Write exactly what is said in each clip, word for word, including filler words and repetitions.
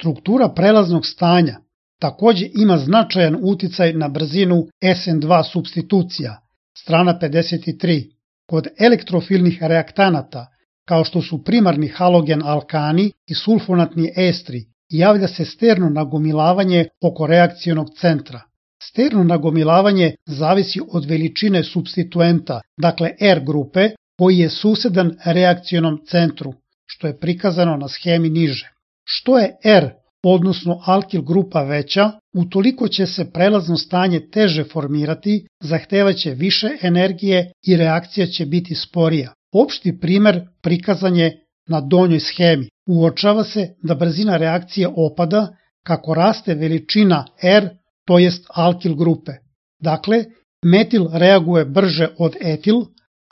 Struktura prelaznog stanja takođe ima značajan uticaj na brzinu S N dva supstitucija, strana pedeset tri. Kod elektrofilnih reaktanata, kao što su primarni halogen alkani i sulfonatni estri, javlja se sterno nagomilavanje oko reakcionog centra. Sterno nagomilavanje zavisi od veličine supstituenta, dakle R grupe, koji je susedan reakcionom centru, što je prikazano na schemi niže. Što je R, odnosno alkil grupa veća, utoliko će se prelazno stanje teže formirati, zahtevaće više energije i reakcija će biti sporija. Opšti primer prikazan je na donjoj schemi. Uočava se da brzina reakcije opada kako raste veličina R, to jest alkil grupe. Dakle, metil reaguje brže od etil,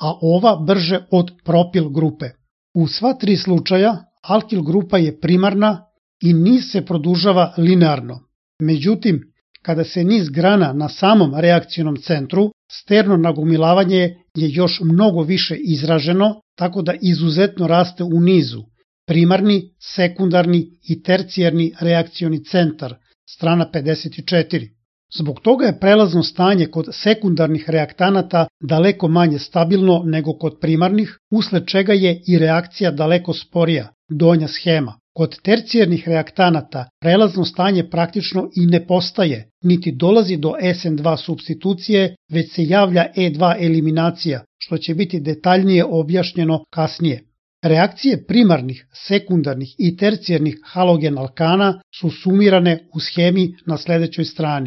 a ova brže od propil grupe. U sva tri slučaja alkil grupa je primarna i niz se produžava linearno. Međutim, kada se niz grana na samom reakcionom centru, sterno nagomilavanje je još mnogo više izraženo, tako da izuzetno raste u nizu. Primarni, sekundarni i tercijarni reakcioni centar, strana pedeset četiri. Zbog toga je prelazno stanje kod sekundarnih reaktanata daleko manje stabilno nego kod primarnih, usled čega je i reakcija daleko sporija, donja schema. Kod tercijarnih reaktanata prelazno stanje praktično i ne postaje, niti dolazi do S N dva supstitucije, već se javlja E dva eliminacija, što će biti detaljnije objašnjeno kasnije. Reakcije primarnih, sekundarnih i tercijarnih halogen alkana su sumirane u schemi na sledećoj strani.